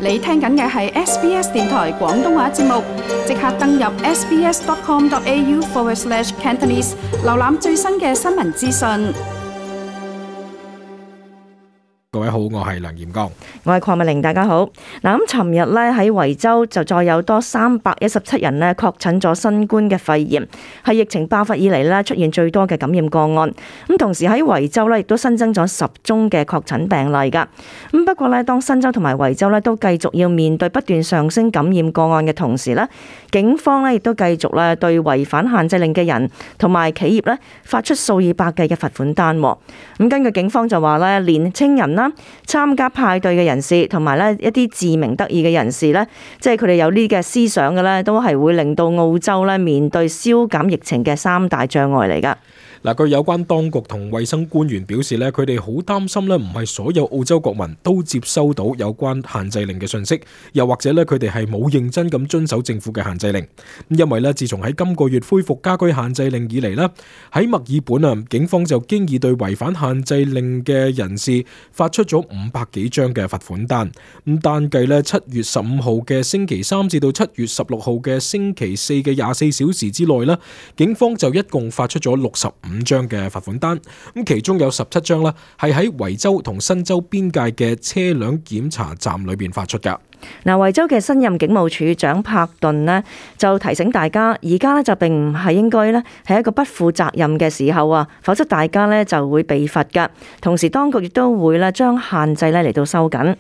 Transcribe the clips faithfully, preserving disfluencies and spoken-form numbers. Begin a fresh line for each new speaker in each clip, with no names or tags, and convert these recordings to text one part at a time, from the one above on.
你聽緊嘅係 S B S 電台廣東話節目，即刻登入 sbs.com.au forward slash Cantonese， 瀏覽最新嘅新聞資訊。
各位好，我係梁炎剛，
我係鄺美玲，大家好。嗱，咁尋日咧喺維州就再有多三百一十七人咧確診咗新冠嘅肺炎，係疫情爆發以嚟咧出現最多嘅感染個案。咁同時喺維州咧亦都新增咗十宗嘅確診病例噶。咁不過咧，當新州同埋維州咧都繼續要面對不斷上升感染個案嘅同時咧，警方咧亦都繼續咧對違反限制令嘅人同埋企業咧發出數以百計嘅罰款單。咁根據警方就話咧，年青人啦，參加派對嘅人士同埋咧一啲自鳴得意嘅人士咧，即係佢哋有呢嘅思想嘅咧，都係會令到澳洲咧面對消減疫情嘅三大障礙嚟噶。
嗱，據有關當局同衛生官員表示咧，佢哋好擔心咧，唔係所有澳洲國民都接收到有關限制令嘅信息，又或者咧佢哋係冇認真咁遵守政府嘅限制令。因為咧，自從喺今個月恢復家居限制令以嚟咧，喺墨爾本啊，警方就經已對違反限制令嘅人士發出咗五百幾張嘅罰款單。咁單計咧七月十五號嘅星期三至到七月十六號嘅星期四嘅廿四小時之內咧，警方就一共發出咗六十五張嘅罰款單，咁其中有十七張啦，係喺維州同新州邊界嘅車輛檢查站裏邊發出噶。
嗱，維州嘅新任警務處長柏頓呢，就提醒大家，而家呢就並唔係應該呢係一個不負責任嘅時候啊，否則大家呢就會被罰噶。同時，當局亦都會呢將限制呢嚟到收緊。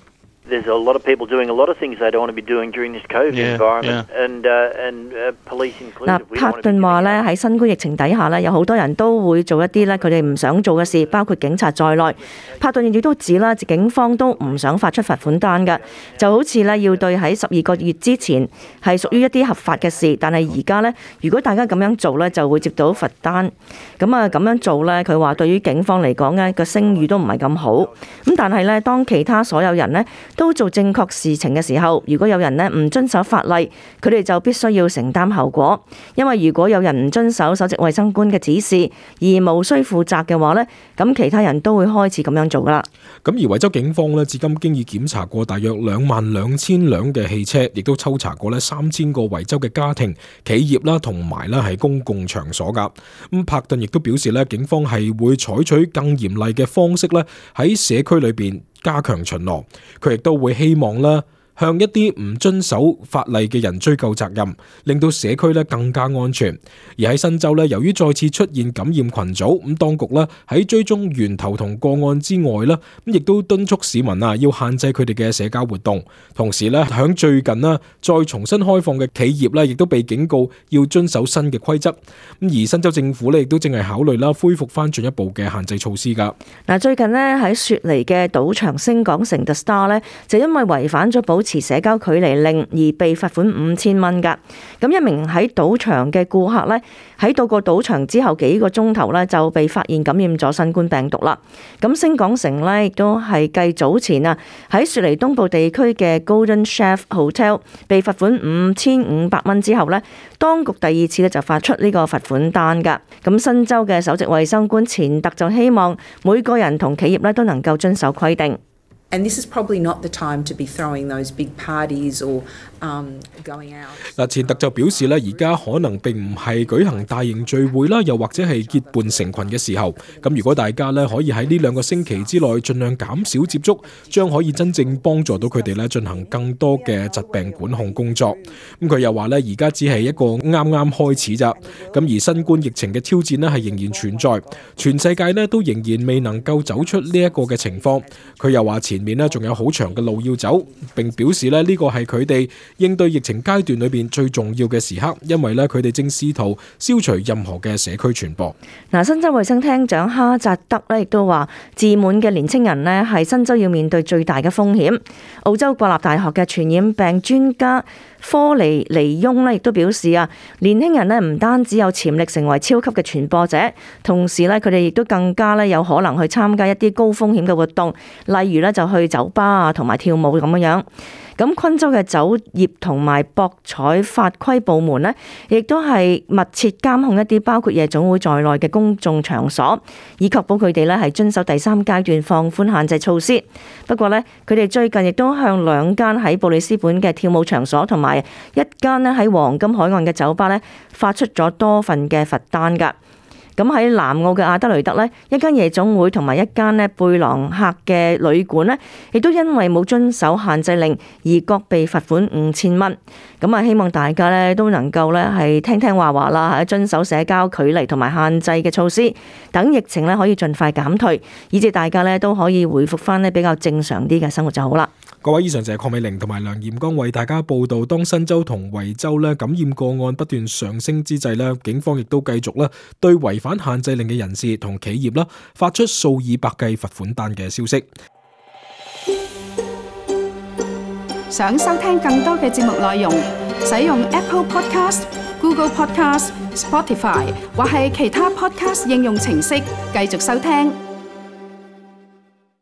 There's a lot of people doing a lot of things they don't want to be doing during this COVID
Yeah,
environment,
yeah.
and uh, and uh, police
嗱，
included. We
柏
don't want to
頓
be
話
doing
咧
that.
喺新冠疫情底下咧，有好多人都會做一啲咧佢哋唔想做嘅事，包括警察在內。柏頓亦都指啦，警方都唔想發出罰款單嘅，就好似咧要對喺十二個月之前係屬於一啲合法嘅事，但係而家咧，如果大家咁樣做咧，就會接到罰單。咁啊咁樣做咧，佢話對於警方嚟講咧個聲譽都唔係咁好。咁但係咧，當其他所有人咧都做正確事情嘅時候，如果有人咧唔遵守法例，佢哋就必須要承擔後果。因為如果有人唔遵守首席衛生官嘅指示而無需負責嘅話咧，咁其他人都會開始咁樣做噶啦。
咁而維州警方咧，至今經已檢查過大約兩萬兩千輛嘅汽車，亦都抽查過咧三千個維州嘅家庭、企業啦，同埋咧係公共場所噶。咁柏頓亦都表示咧，警方係會採取更嚴厲嘅方式咧，喺社區裏邊加強巡邏。佢亦都會希望咧，向一啲唔遵守法例嘅人追究責任，令到社區咧更加安全。而喺新州咧，由於再次出現感染群組，咁當局咧喺追蹤源頭同個案之外咧，咁亦都敦促市民啊要限制佢哋嘅社交活動。同時咧，響最近啦再重新開放嘅企業咧，亦都被警告要遵守新嘅規則。咁而新州政府咧亦都正係考慮啦恢復翻進一步嘅限制措施噶。
嗱，最近咧喺雪梨嘅賭場星港城 The Star 咧，就因為違反咗保持社交距離令而被罰款五千蚊噶。咁一名喺賭場嘅顧客咧，喺到過賭場之後幾個鐘頭咧就被發現感染咗新冠病毒啦。咁星港城咧亦都係繼早前啊喺雪梨東部地區嘅 Golden Chef Hotel 被罰款五千五百蚊之後咧，當局第二次咧就發出呢個罰款單噶。咁新州嘅首席衛生官錢特就希望每個人同企業咧都能夠遵守規定。
And this is probably not the time to be throwing those big parties or um, going out.
嗱，錢特就表示咧，而家可能並唔係舉行大型聚會啦，又或者係結伴成群嘅時候。咁如果大家咧可以喺呢兩個星期之內盡量減少接觸，將可以真正幫助到佢哋咧進行更多嘅疾病管控工作。咁佢又話咧，而家只係一個啱啱開始咋。咁而新冠疫情嘅挑戰咧係仍然存在，全世界咧都仍然未能夠走出呢一個嘅情況。佢又話前面咧仲有好長嘅路要走，並表示咧呢個係佢哋應對疫情階段裏邊最重要嘅時刻，因為咧佢哋正試圖消除任何嘅社區傳播。
嗱，新州衛生廳長哈扎德咧亦都話，自滿嘅年青人咧係新州要面對最大嘅風險。澳洲國立大學嘅傳染病專家科尼尼翁咧亦都表示啊，年輕人咧唔單止有潛力成為超級嘅傳播者，同時咧佢哋亦都更加咧有可能去參加一啲高風險嘅活動，例如咧就去酒吧啊同埋跳舞咁樣樣。咁昆州嘅酒業同埋博彩法規部門呢，亦都係密切監控一啲包括夜總會在內嘅公眾場所，以確保佢哋呢係遵守第三階段放寬限制措施。不過呢，佢哋最近亦都向兩間喺布里斯本嘅跳舞場所同埋一間呢喺黃金海岸嘅酒吧呢，發出咗多份嘅罰單㗎。咁喺南澳嘅阿德雷德呢，一間夜總會同埋一間呢貝朗客嘅旅館呢，亦都因為冇遵守限制令而各被罰款五千蚊。咁啊，希望大家呢都能夠呢係聽聽話話啦，係遵守社交距離同埋限制嘅措施，等疫情呢可以盡快減退，以至大家呢都可以回復翻呢比較正常啲嘅生活就好啦。
各位，以上就係鄺美玲同埋梁艷剛為大家報道，當新州同維州咧感染個案不斷上升之際咧，警方亦都繼續咧對違反限制令嘅人士同企業啦發出數以百計罰款單嘅消息。
想收聽更多嘅節目內容，使用 Apple Podcast、Google Podcast、Spotify 或係其他 Podcast 應用程式繼續收聽。